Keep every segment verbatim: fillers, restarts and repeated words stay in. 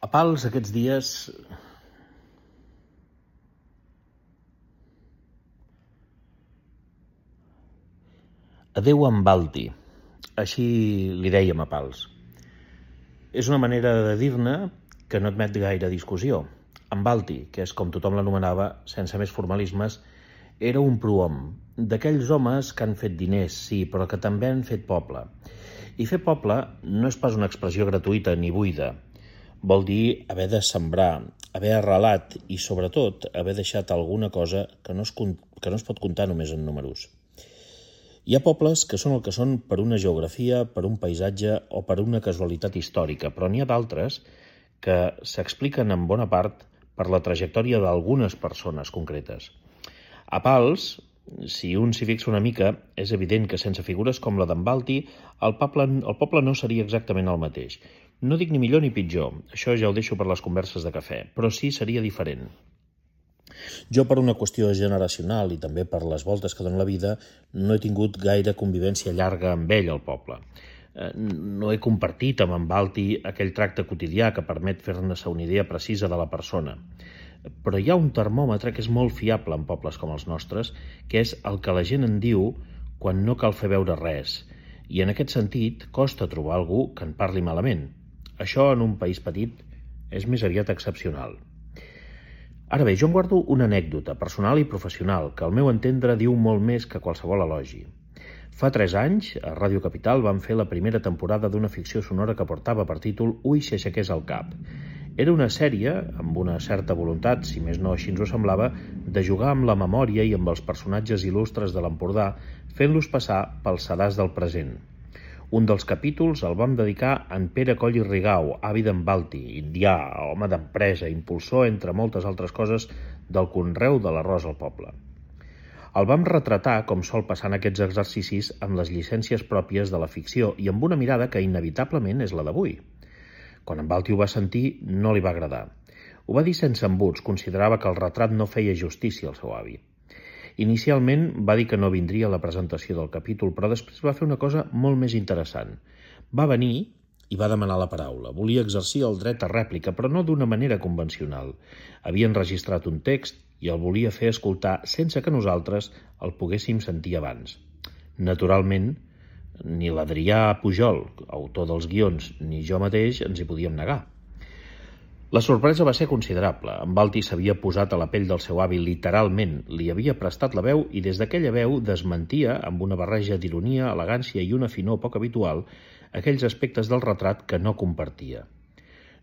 A Pals aquests dies adéu en Balti, així li dèiem a Pals. És una manera de dir-ne que no admet gaire discussió. En Balti, que és com tothom l'anomenava, sense més formalismes, era un prohom, d'aquells homes que han fet diners, sí, però que també han fet poble. I fer poble no és pas una expressió gratuïta ni buida. Vol dir haver de sembrar, haver arrelat i, sobretot, haver deixat alguna cosa que no es, que no es pot comptar només en números. Hi ha pobles que són el que són per una geografia, per un paisatge o per una casualitat històrica, però n'hi ha d'altres que s'expliquen en bona part per la trajectòria d'algunes persones concretes. A Pals, si un s'hi fixa una mica, és evident que sense figures com la d'en Balti, el poble, el poble no seria exactament el mateix. No dic ni millor ni pitjor, això ja ho deixo per les converses de cafè, però sí seria diferent. Jo, per una qüestió generacional i també per les voltes que dona la vida, no he tingut gaire convivència llarga amb ell al poble. No he compartit amb en Balti aquell tracte quotidià que permet fer-ne-se una idea precisa de la persona. Però hi ha un termòmetre que és molt fiable en pobles com els nostres, que és el que la gent en diu quan no cal fer veure res. I en aquest sentit costa trobar algú que en parli malament. Això en un país petit és més aviat excepcional. Ara bé, jo em guardo una anècdota personal i professional que al meu entendre diu molt més que qualsevol elogi. Fa tres anys, a Ràdio Capital vam fer la primera temporada d'una ficció sonora que portava per títol Ui, si aixequés el cap. Era una sèrie, amb una certa voluntat, si més no així ens ho semblava, de jugar amb la memòria i amb els personatges il·lustres de l'Empordà, fent-los passar pels sedars del present. Un dels capítols el vam dedicar a en Pere Coll i Rigau, avi d'en Balti, indià, home d'empresa, impulsor, entre moltes altres coses, del conreu de l'arròs al poble. El vam retratar, com sol passar en aquests exercicis, amb les llicències pròpies de la ficció i amb una mirada que inevitablement és la d'avui. Quan en Balti ho va sentir, no li va agradar. Ho va dir sense embuts, considerava que el retrat no feia justícia al seu avi. Inicialment va dir que no vindria a la presentació del capítol, però després va fer una cosa molt més interessant. Va venir i va demanar la paraula. Volia exercir el dret a rèplica, però no d'una manera convencional. Havia enregistrat un text i el volia fer escoltar sense que nosaltres el poguéssim sentir abans. Naturalment, ni l'Adrià Pujol, autor dels guions, ni jo mateix ens hi podíem negar. La sorpresa va ser considerable. En Balti s'havia posat a la pell del seu avi literalment, li havia prestat la veu i des d'aquella veu desmentia, amb una barreja d'ironia, elegància i una finor poc habitual, aquells aspectes del retrat que no compartia.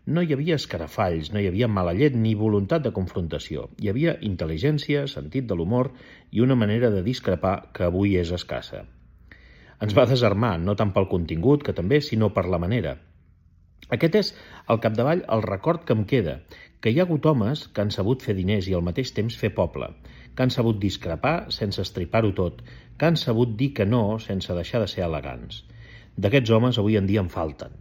No hi havia escarafalls, no hi havia mala llet ni voluntat de confrontació. Hi havia intel·ligència, sentit de l'humor i una manera de discrepar que avui és escassa. Ens va desarmar, no tant pel contingut, que també, sinó per la manera. Aquest és, al capdavall, el record que em queda, que hi ha hagut homes que han sabut fer diners i al mateix temps fer poble, que han sabut discrepar sense estripar-ho tot, que han sabut dir que no sense deixar de ser elegants. D'aquests homes avui en dia en falten.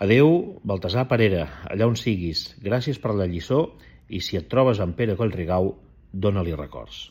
Adéu, Baltasar Parera, allà on siguis, gràcies per la lliçó i si et trobes amb Pere Coll Rigau, dóna-li records.